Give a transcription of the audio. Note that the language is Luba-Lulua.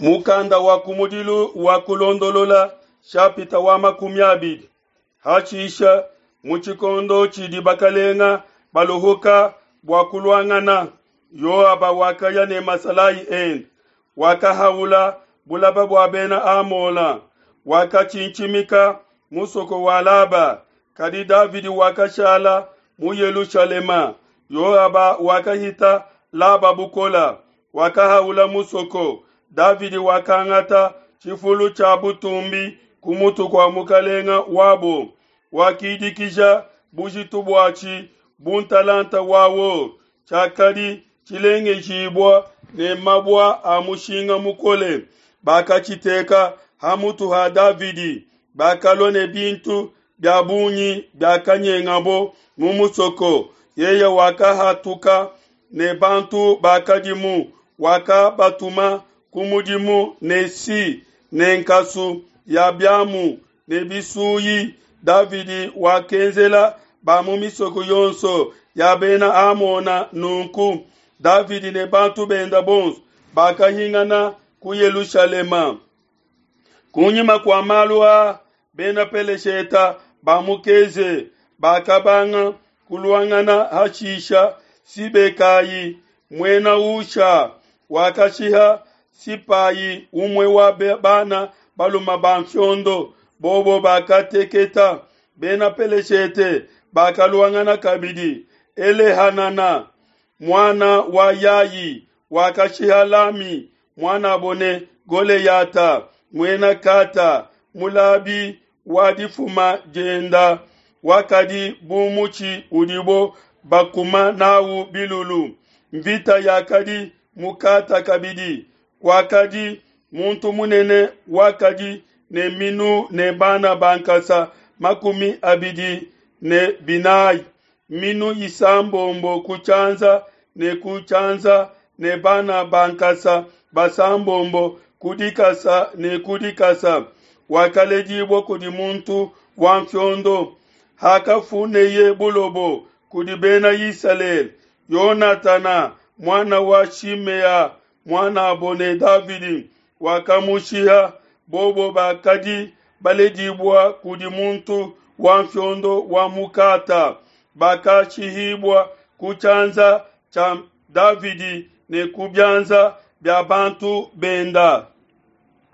Mukanda wa kumudilu wa Kulondolola shapita wa 20. Hashisha mu tshikondo tshidi bakalenga baluhuka bua kuluangana, Yoaba wakaya ne masalayi ende, wakahaula bulaba bua Bena Amona, wakatshintshimika musoko wa Laba. Kadi Davidi wakashala mu Yelushalema. Yoaba wakahita Laba bukola, wakahaula musoko. Davidi wakangata tshifulu tshia butumbi ku mutu kua mukalenga wabo, wakidikija bujitu buatshi bu ntalanta wa or, tshiakadi tshilengejibua ne mabua a mushinga mukole. Bakatshiteka ha mutu ha Davidi. Bakalua ne bintu bia bungi biakanyengabo mu musoko. Yeye wakahatuka ne bantu bakadimu, wakabatuma ku mudimu ne si ne nkasu ya biamu ne bisuyi. Davidi wakenzela ba mu misoko yonso ya Bena Amona nunku. Davidi ne bantu benda bonso bakahingana ku Yelushalema. Kunyima kua malu aa, Bena Pelesheta ba mu Keze bakabanga kuluangana. Hashisha Sibekai, muena Husha, wakashiha Sipai, umue wa bana balume ba nfiondo. Bobo bakateketa. Bena Peleshete bakaluangana kabidi. Elehanana, muana wa Yai, wakashiha Lami, muanabo ne Goleyata, muena Kata, mulabi wa difuma dienda, wakadi bu mutshi udibo bakuma nawu bilulu. Mvita yakadi mu Kata kabidi. Kwakadi muntu munene wakadi ne minu ne bana ba nkasa 24, minu isambombo ku tshianza ne ku tshianza ne bana ba nkasa basambombo ku dikasa ne ku dikasa. Wakaledibua kudi muntu wa nfiondo. Hakafuneye bulobo kudi Bena Isalele, Yonatana muana wa Shimea muanabo ne Davidi wakamushiha. Bobo bakadi baledibua kudi muntu wa nfiondo wa mu Kata, bakashihibua ku tshianza tshia Davidi ne ku bianza bia bantu benda.